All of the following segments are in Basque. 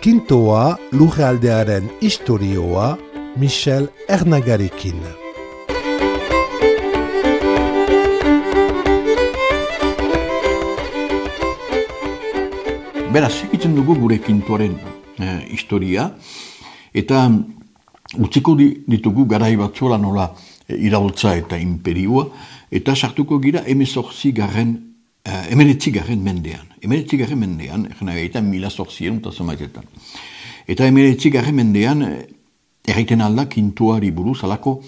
Kintoa lurraldearen istorioa Michel Ernagarikin. Beraz, segitzen dugu gure Kintoaren historia, eta utziko ditugu garai batzuela nola iraultza eta imperioa, eta sartuko gira 19. mendean. 19. mendean, egin mila zortzien eta zemaitetan. Eta 19. mendean, erraiten alda Kintoari buruz, alako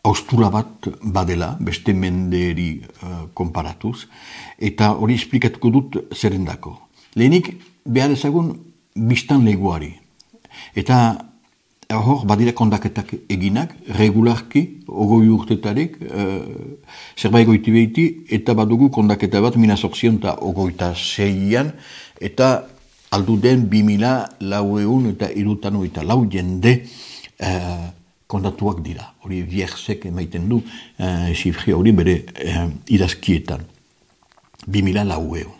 austura bat badela, beste menderi konparatuz, eta hori esplikatuko dut zerendako. Lehenik, behar ezagun biztan leguari. Eta hor, badira kondaketak eginak, regularki, ogoi urtetarik, zerbait goiti behiti, eta badugu kondaketa bat, 1926an, eta aldu den 2004 eta 2004 jende kondatuak dira. Hori Vierzek emaiten du, xifri hori bere idazkietan. 2004.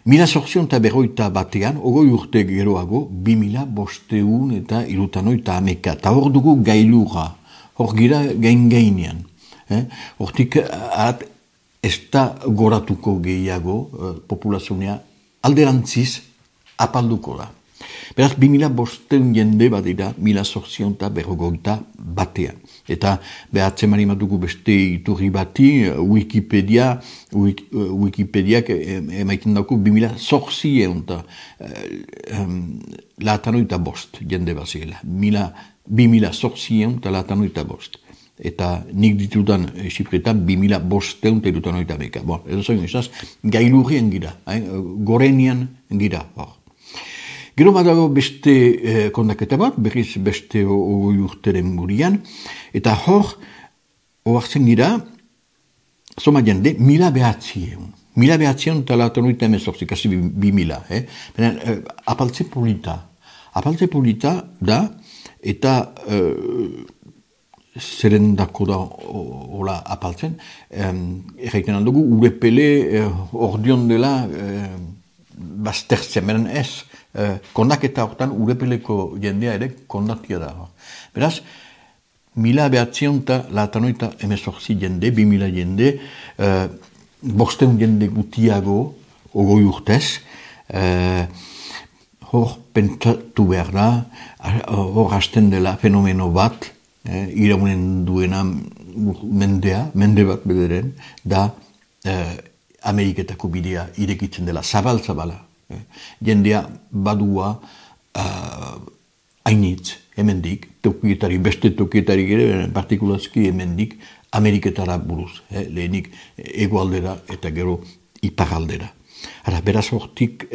1940 batean, ogoi urte geroago, 2500 eta 2011. Eta hor dugu gailurra, hor gira gain-gainean. Hortik ez da goratuko gehiago populazionea alderantziz apalduko da. Beraz, 2500 jende badira 1940 batean. Eta behatzen mani dugu beste iturri bati, Wikipediak emaiten dauku 2008 eta 5 jende bazela. 2008 eta 5. Eta nik ditudan xifretan 2500 eta 2011. Bon, edo zain esaz, gailurrien gira, gorenian gira hor. Gero badago beste kondaketa bat, berriz beste ogoi urteren murian, eta hor, oartzen gira, soma jende, 1900. 1900 eta 1918, kasi 2000. Apaltze polita. Apaltze polita da, eta zerendako da hola apaltzen, erraiten aldugu, urepele ordion dela baztertzen, beren ez, kondaketa hortan urepeleko jendea ere kondatia da. Beraz, 1918 jende, 2000 jende, 500 jende gutiago ogoi urtez, hor pentsatu behar da, hor hasten dela fenomeno bat, iraunen duena mende bat bederen, da Ameriketako bidea irekitzen dela, zabal-zabala. Jendea badua hainitz, hemendik, tokietari, beste tokietari ere, partikulazki hemendik, Ameriketara buruz, lehenik egoaldera eta gero iparaldera. Beraz hortik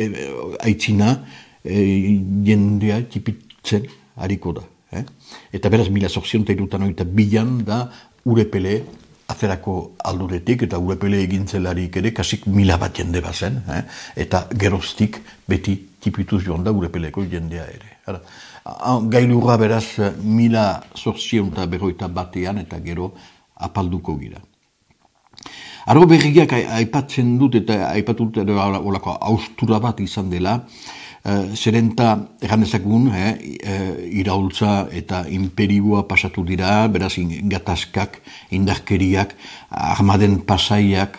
aitzina jendea tipitzen hariko da. Eta beraz 1982an da urepele aferako alduretik eta urepele egintzelarik ere kasik 1000 bat jende bazen, eta geroztik beti tipituz joan da urepeleko jendea ere. Gailurra beraz 1940 batean eta gero apalduko gira. Argo berriak aipatzen dut eta aipatut olako austura bat izan dela, zerenta errandezagun, iraultza eta imperioa pasatu dira, beraz gatazkak, indarkeriak, armaden pasaiak,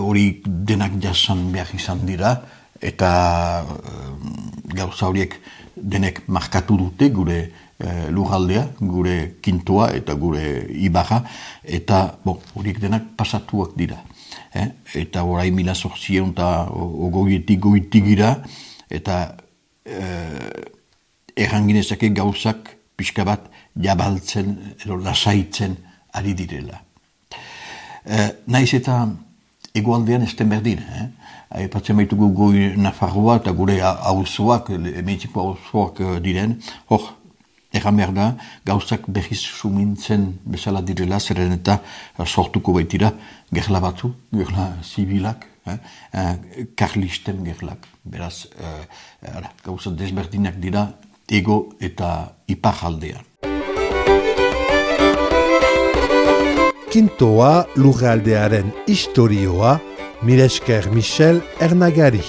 hori denak jasan behar izan dira, eta gauza horiek denek markatu dute gure lurraldea, gure Kintoa eta gure Ibarra, eta horiek denak pasatuak dira. Eta orai 1920 goitik gira, eta erranginezake gauzak pixka bat jabaltzen edo lasaitzen ari direla. Naiz eta egoaldean ez den berdin. Aipatzen baitugu goi Nafarroa eta gure auzoak, emeitiko auzoak diren, hor, erran behar da, gauzak behiz sumintzen bezala direla, zeren eta sortuko baitira gerla batzu, gerla zibilak, karlisten gerlak. Beraz, gauza desberdinak dira ego eta ipar aldean. Kintoa lurraldearen istorioa, mila esker Michel Ernagari.